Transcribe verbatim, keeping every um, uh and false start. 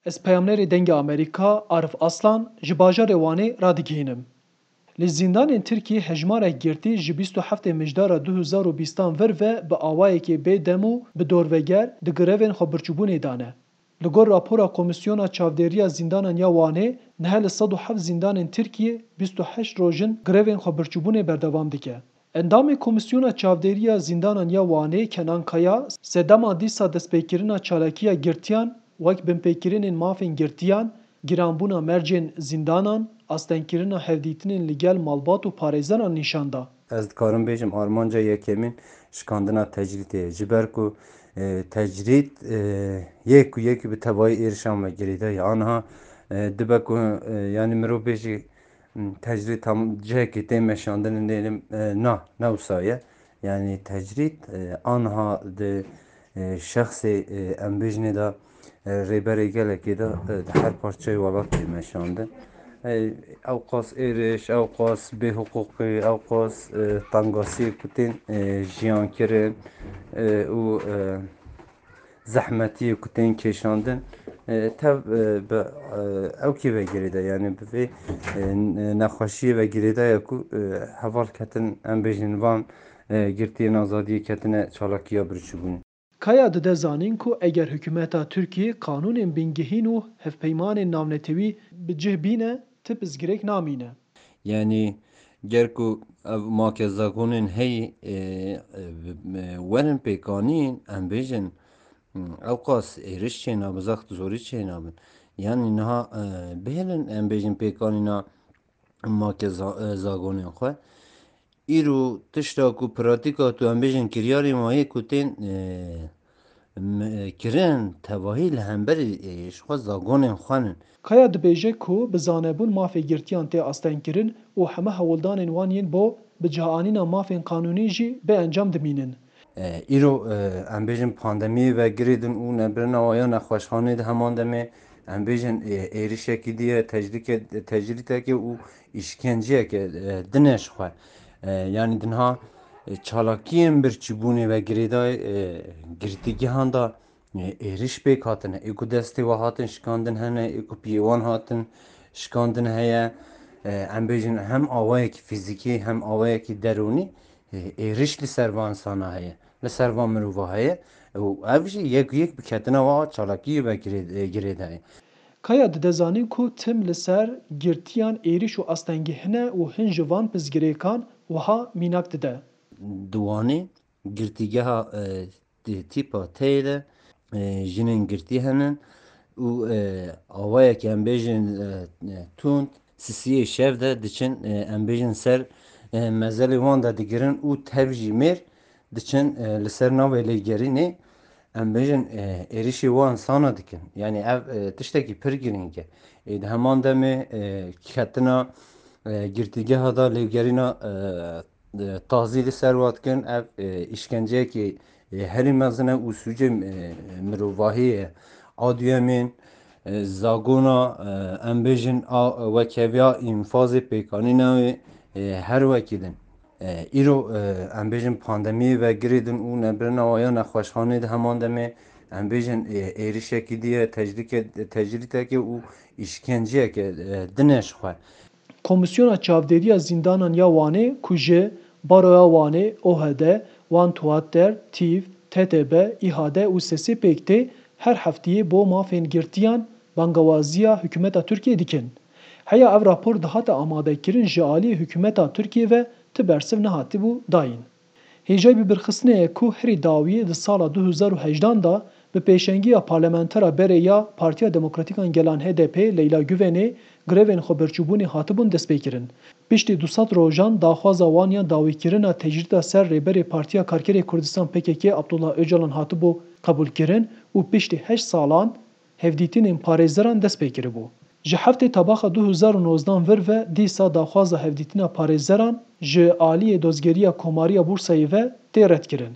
Ez peyamnerê Dengê Amerîka, Arif Aslan, ji bajarê Wanê radigihînim. Li zîndanên Tirkiyê hejmarek girtî ji bîst û heftê Mijdara du hezar û bîstan vir ve bi awayekê bê dem û bi dorveger di grevên xwebirçîbûnê de ne. Li gor rapora Komîsyona Çavdêriya Zîndanan ya Wanê, niha li sed û heft zîndanên Tirkiyê bîst û heşt roj in grevên xwebirçîbûnê berdewam dike. Endamê Komîsyona Çavdêriya Zîndanan ya Wanê Kenan Kaya sedema dîsa destpêkirina çalakiya girtiyan wek binpêkirinên mafên girtiyan, giranbûna mercên zîndanan, astengkirina hevdîtinên li gel malbat û parêzeran nîşan da. Ez dikarim bêjim armanca yekemîn şikandina tecrîdê ye. Ji ber ku, e, tecrîd, e, yê ku yekî bi tevayî êrişan ve girêdayî. Aniha, e, dibe ku, e, yanî mirov bêjî, m, tecrîd tam cihekê tê meşandin, lê, e, na, ne wisa ye. Yanî tecrîd, e, aniha di, e, şexsê, e, em bêjinê de, e, rêberê gelekê de, e, di her parçeyê welat tê meşandin. E, ew qas êriş, ew qas bêhiqûqî, ew qas, e, tengasiyê ku tên, e, jiyan kirin, e, û, e, zehmetiyê ku tên kêşandin, e, tev, e, bi, e, ew kê ve girêdayî, yanî bi vê, e, nexweşiyê ve girêdayî ku, e, heval ketin, em bêjin van, e, girtiyên azadiyê ketine çalakiya birçîbûnê. Kaya dide zanîn ku eger hikûmeta Tirkiyê qanûnên bingehîn û hevpeymanên navnetewî bi cih bîne, ti pirsgirêk namîne. Yanî ger ku ev makezagonên heyî, e, e, bi, e, werin pêkanîn, em bêjin, hmm, ew qas êriş çênabin, zext zorî çênabin. Yanî niha, e, bihêlin em bêjin pêkanîna makeza-, e, zagonên xwe. Îro tişta ku pratîka tu em bêjin kiryarên wayê ku tên, e, m-, e, kirin, tevahî li hemberî, e, ji xwe zagonên xwe nin. Kaya dibêje ku bi zanebûn mafê girtiyan tê astengkirin û heme hewldanên wan yên bo bi cihanîna mafên qanûnî jî bê encam dimînin. E, îro, e, em bêjin pandemiyê ve girêdin û nebirina wa ya nexweşxanê di heman demê, em bêjin, e, êrişekî diye, tecrîke-, tecrîdekê û îşkenceyeke, e, dine ji xwe. E, yanî dinha, e, çalakiyên birçîbûnê ve girêdayî, e, girtîgehan de, e, êriş pêk hatine. Ê ku destê we hatin şikandin hene, ê ku piyê wan hatin şikandin heye. E, em bêjin hem awayekî fîzîkî hem awayekî derûnî, e, êriş li ser van insana heye. Li ser van mirova heye. Û ev jî yek yek bi ketina wa çalakiyê ve girê-, e, girêdayî. Kaya dide zanîn ku tim li ser girtiyan êrîş û astengî hene û hin ji van pirsgirêkan wiha mînak dide. Di Wanê girtîgeha, e, tî-, tîpa teyê de, e, jinên girtî henin û, e, awayek em bêjin, e, e, tund, sisiyê şev de diçin, e, em bêjin ser, e, mezelê wan de digirin û tev jî mêr diçin, e, li ser navê lêgerînê, em bêjin, e, êrişî wan sana dikin. Yanî ev, e, tiştekî pir girîng e. Ê di heman demê, e, ketina, e, girtîgeha da lêgerîna, e, e, tazî li ser wa dikin. Ev, e, îşkenceyekî, e, herî mezin e û sûcê, e, mirovahî ye. A duyemîn, e, zagona, e, em bêjin a, wekheviya înfazê pêkanîna wê, e, her wekî din. E, îro, e, em bêjin pandemiyê ve girêdin û nebirina wa ya nexweşxanê di heman demê, em bêjin, e, êrişekî diye, tecrîke-, tecrîdekê û îşkenceyeke, e, dine ji xwe. Komîsyona Çavdêriya Zîndanan ya Wanê ku ji Baroya Wanê, O H D, Wan Tuater, TÎV, T T B, İHAD û sesê pêk tê, her heftiyê bo mafên girtiyan bangewaziya hikûmeta Tirkiyê dikin. Heya ev rapor dihate amadekirin ji aliyê hikûmeta Tirkiyê ve ti bersiv nehatibû dayîn. Hêjayî bibirxistinê ye ku herî dawî di sala du hezar û hejdan de bi pêşengiya parlamentera berê ya Partiya Demokratîk an Gelan H D P Leyla Guvenê grevên xwebirçîbûnê hatibûn destpêkirin. Piştî du sed rojan daxwaza wan ya dawîkirina tecrîda ser Rêberê Partiya Karkerê Kurdistan P K K Abdullah Ocalan hatibû qebûlkirin û piştî heşt salan hevdîtinên parêzeran dest pê kiribû. Ji heftê Tebaxa du hezar û nozdan vir ve dîsa daxwaza hevdîtina parêzeran ji aliyê Dozgeriya Komarî ya Bursayê ve tê redkirin.